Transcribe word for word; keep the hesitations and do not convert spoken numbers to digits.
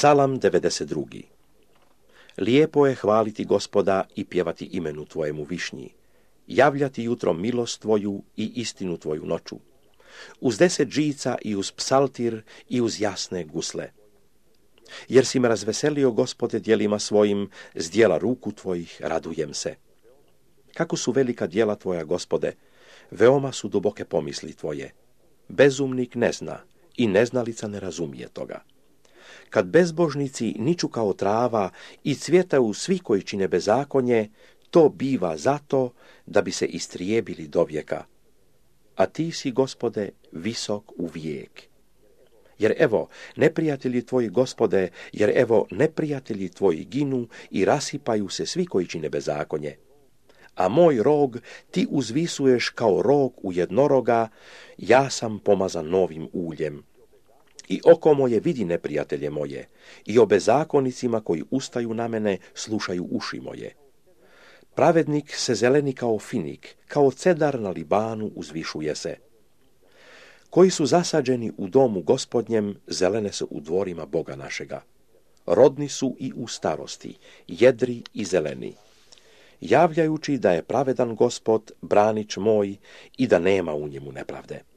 Psalam devedeset drugi. Lijepo je hvaliti Gospoda i pjevati imenu tvojemu višnji, javljati jutrom milost tvoju i istinu tvoju noću, uz deset žica i uz psaltir i uz jasne gusle. Jer si me razveselio, Gospode, djelima svojim, s djela ruku tvojih radujem se. Kako su velika djela tvoja, Gospode, veoma su duboke pomisli tvoje. Bezumnik ne zna i neznalica ne razumije toga. Kad bezbožnici niču kao trava i cvjetaju svi koji čine bezakonje, to biva zato da bi se istrijebili dovijeka. A ti si, Gospode, visok u vijek. Jer evo, neprijatelji tvoji, Gospode, jer evo, neprijatelji tvoji ginu i rasipaju se svi koji čine bezakonje. A moj rog ti uzvisuješ kao rog u jednoroga, ja sam pomazan novim uljem. I oko moje vidi neprijatelje moje, i o bezakonicima koji ustaju na mene slušaju uši moje. Pravednik se zeleni kao finik, kao cedar na Libanu uzvišuje se. Koji su zasađeni u domu Gospodnjem, zelene su u dvorima Boga našega. Rodni su i u starosti, jedri i zeleni, javljajući da je pravedan Gospod, branič moj, i da nema u njemu nepravde.